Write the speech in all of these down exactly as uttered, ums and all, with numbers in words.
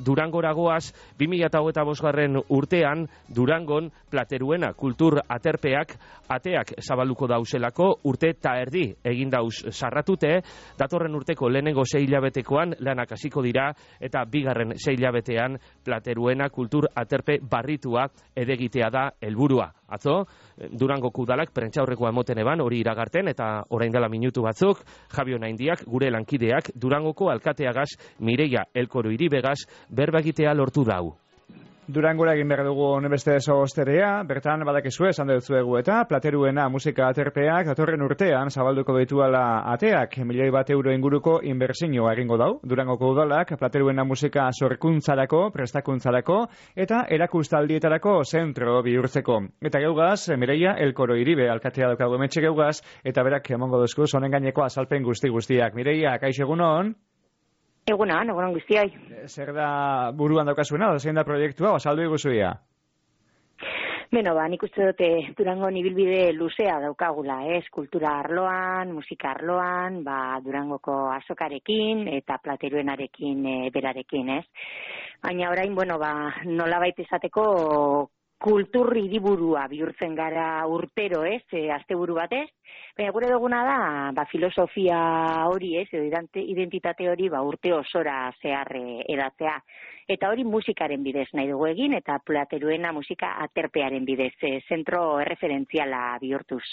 Durangoragoaz, bi mila hogeita bosgarren urtean, Durangon Plateruena kultur aterpeak ateak zabalduko dauzelako urte ta erdi egin dauz sarratute, datorren urteko lehenengo sei hilabetekoan lanak hasiko dira eta bigarren sei hilabetean Plateruena kultur aterpe barritua edegitea da helburua. Atzo, Durangoko udalak prentsaurrekoa emoten eban hori iragarten eta orain dela minutu batzuk, Javi Onaindiak, gure lankideak, Durangoko alkateagaz Mireia Elkoro Iribegaz berba egitea lortu dau. Durangora egin behar dugu honebeste osterea, bertan badakizue, esan dutzuegu eta Plateruena musika aterpeak datorren urtean zabalduko dituala ateak, milioi bat euro inguruko inbertsioa egingo dau. Durangoko udalak Plateruena musika sorkuntzarako, prestakuntzarako eta erakustaldietarako zentro bihurtzeko. Eta geugaz, Mireia Elkoro Iribe alkatea daukagu hementxe geugaz, eta berak emango duzku honen gaineko azalpen guzti guztiak. Mireia, kaixo egunon? Egunan, egunan guztioi. Zer da buruan daukazuena, zein da proiektua, osaldu iguzuia? Beno, ba, nik uste dute Durango ibilbide luzea daukagula, ez? Kultura arloan, musika arloan, ba, Durangoko azokarekin eta Plateruenarekin e, berarekin, ez? Baina orain, bueno, ba, nolabait esateko kultur hiriburua bihurtzen gara urtero, ez, e, asteburu batez. Baina gure duguna da, ba, filosofia hori, ez, edo identitate hori, ba, urte osora zehar edatzea. Eta hori musikaren bidez nahi dugu egin, eta Plateruena musika aterpearen bidez, e, zentro erreferentziala bihurtuz.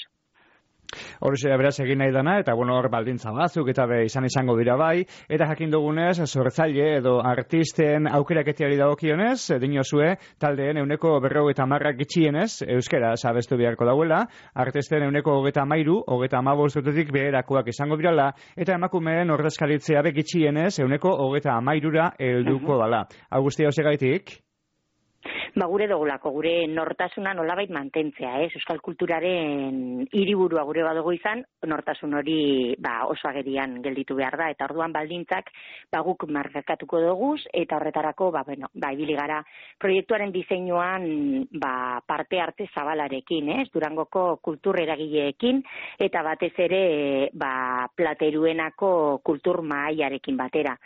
Horixe beraz egin nahi dana, eta bueno, hor baldintza batzuk eta be izan izango dira bai, eta jakin dugunez, sortzaile edo artisten aukeraketiari dagokionez, dinozue taldeen euneko berrogeita hamarrak gitxienez, euskaraz abestu beharko dauela, artisten euneko hogeita hamairu, hogeita hamabost urtetik beherakoak izango dirala, eta emakumeen ordezkaritzea be gitxienez, euneko hogeita hamairura helduko dala. Hau guztia osegaitik? Ba, gure dugulako, gure nortasuna nolabait mantentzea, ez? Euskal kulturaren hiriburua gure badugu izan, nortasun hori ba, oso agerian gelditu behar da, eta orduan baldintzak ba, guk markatuko duguz, eta horretarako, ba, bueno, ba, ibili gara proiektuaren diseinuan ba, parte arte zabalarekin, ez? Durangoko kultur eragileekin, eta batez ere ba, Plateruenako kultur mahaiarekin batera.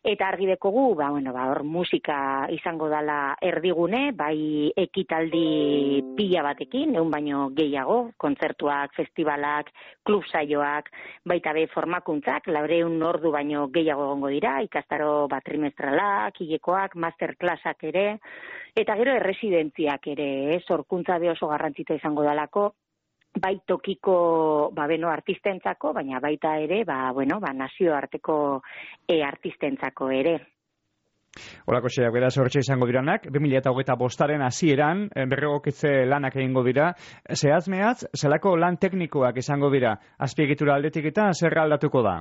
Eta argi dekogu, ba, bueno, ba, hor musika izango dala erdigune, bai ekitaldi pila batekin, egun baino gehiago, kontzertuak, festivalak, klub saioak, baita be formakuntzak, laureun ordu baino gehiago egongo dira, ikastaro bat trimestralak, hilekoak, masterclassak ere, eta gero erresidentziak ere, eh, sorkuntza be oso garrantzitsua izango dalako, bai tokiko ba, beno, artistentzako, baina baita ere, ba, bueno, ba, nazioarteko e, artistentzako ere. Horako xeak, beraz hortxe izango diranak, bi mila hogeita bostaren hasieran berregokitze lanak egingo dira. Zehazmeaz, zelako lan teknikoak izango dira, azpiegitura aldetik eta zer aldatuko da?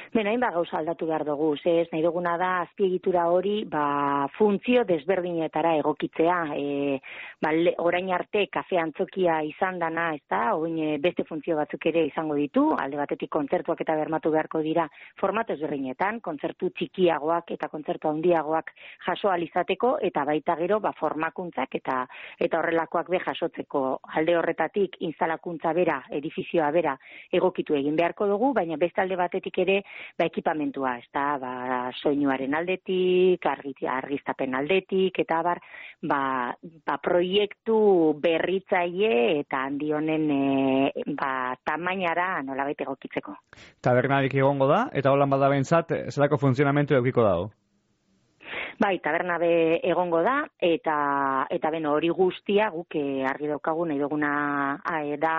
Beno, hain ba gauza aldatu behar dugu, ez nahi duguna da azpiegitura hori ba, funtzio desberdinetara egokitzea. E, ba, le, orain arte kafe antzokia izan dana, ez da, oin beste funtzio batzuk ere izango ditu, alde batetik kontzertuak eta bermatu beharko dira formato ezberdinetan, kontzertu txikiagoak eta kontzertu handiagoak jaso alizateko, eta baita gero ba, formakuntzak eta eta horrelakoak be jasotzeko. Alde horretatik instalakuntza bera, edifizioa bera egokitu egin beharko dugu, baina beste alde batetik ere ba, ekipamentua, ez da, ba, soinuaren aldetik, argiztapen aldetik, eta bar, ba, ba, proiektu berritzaile eta handi honen e, ba, tamainara nolabait egokitzeko. Tabernarik egongo da, eta holan bada behintzat, zelako funtzionamentu eukiko dago? Bai, taberna be egongo da, eta eta beno hori guztia guk eh, argi daukagu nahi duguna eh, da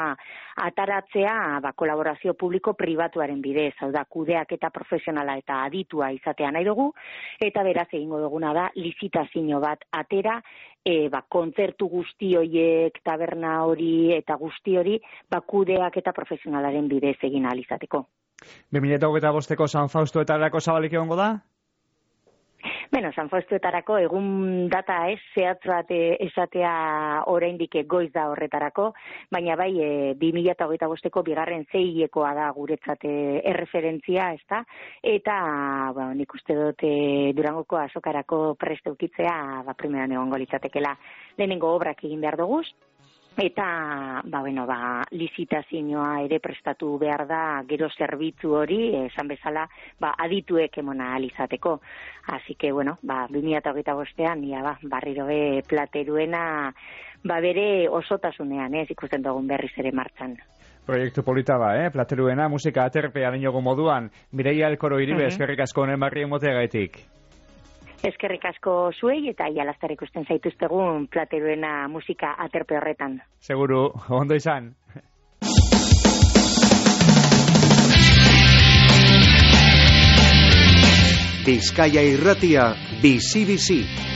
ataratzea ba, kolaborazio publiko-pribatuaren bidez, hau da kudeak eta profesionala eta aditua izatea nahi dugu, eta beraz egingo duguna da lizitazio bat atera, e, ba, kontzertu guzti horiek, taberna hori eta guzti hori ba, kudeak eta profesionalaren bidez egin ahal izateko. bi mila hogeita bosteko San Fausto eta erako zabalik egongo da? Beno, San Faustuetarako egun data ez, zehatz bat esatea oraindik goiz da horretarako, baina bai e, bi mila hogeita bosteko bigarren zeiekoa da guretzat erreferentzia, ez da? Eta, bueno, nik uste dut e, Durangoko azokarako prest eukitzea, ba, primeran egongo litzatekela lehenengo obrak egin behar duguz, Eta, ba, bueno, ba, lizitazioa ere prestatu behar da gero zerbitzu hori, esan bezala, ba, adituek emona alizateko. Así que, bueno, ba, bi mila hogeita bostean, ia, ba, barriro be Plateruena, ba, bere osotasunean, ez, ikusten dugun berriz ere martxan. Proiektu polita ba, eh? Plateruena, musika aterpea niogo moduan. Mireia Elkoro Iribe, uh-huh. eskerrik asko honen barri emoteagaitik. Eskerrik asko zuei eta ialaztar ikusten zaituztegun Plateruena musika aterpe horretan. Seguru, ondo izan. Bizkaia Irratia, bizi-bizi.